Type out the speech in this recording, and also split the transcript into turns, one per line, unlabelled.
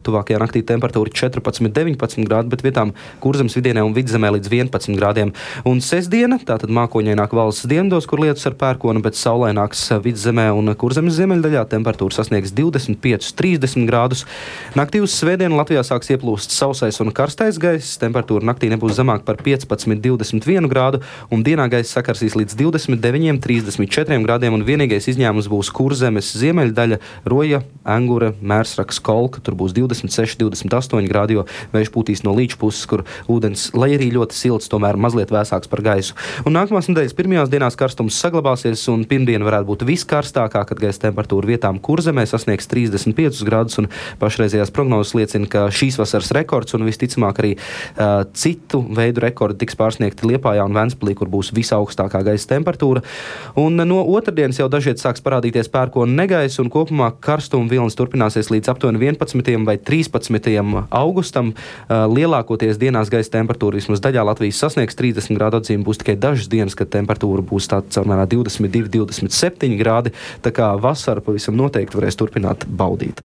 tuvākajā naktī temperatūra 14-19 grādi, bet vietām Kurzemes vidienē un Vidzemē līdz 11 grādiem. Un sestdiena, tātad mākoņaināk valsts dienvidos, kur lietus ar pērkonu, bet saulaināks Vidzemē un Kurzemes ziemeļdaļā, temperatūra sasniegs 25-30 grādus. Naktī uz svētdienu Latvijā sāks ieplūst sausais un karstais gaiss, temperatūra naktī nebūs zemāk par 15-21 grādu, un dienā gaiss sakarsīs līdz 29-34 grādiem, un vienīgais izņēmums būs Kurzemes ziemeļdaļa, Roja, Engure, Mērsraks, Kolka, tur būs 26-28 grādi, jo vējš pūtīs no Līča puses, kur ūdens, lai arī ļoti silts, tomēr mazliet vēsāks par gaisu. Un nākamās nedēļas pirmajās dienās karstums saglabāsies, un pirmdiena varētu būt viskarstākā, kad gaisa temperatūra vietām Kurzemē sasniegs 35 grādus, un pašreizējās prognozes liecina, ka šīs vasaras rekords un visticamāk arī citu veidu rekordi tiks pārsniegti Liepājā un Ventspilī, kur būs visaugstākā gaisa temperatūra. Un no otrdienas jau dažviet sāks parādīties pērkona negaisa, un kopumā karstuma vilnis turpināsies līdz aptuveni 11. vai 13. augustam. Lielākoties dienās gaisa temperatūra vismaz daļā Latvijas sasniegs 30 grādu atzīmi, būs tikai dažas dienas, kad temperatūra būs tāda caurmērā 22-27 grādi, tā kā vasara pavisam noteikti varēs turpināt baudīt.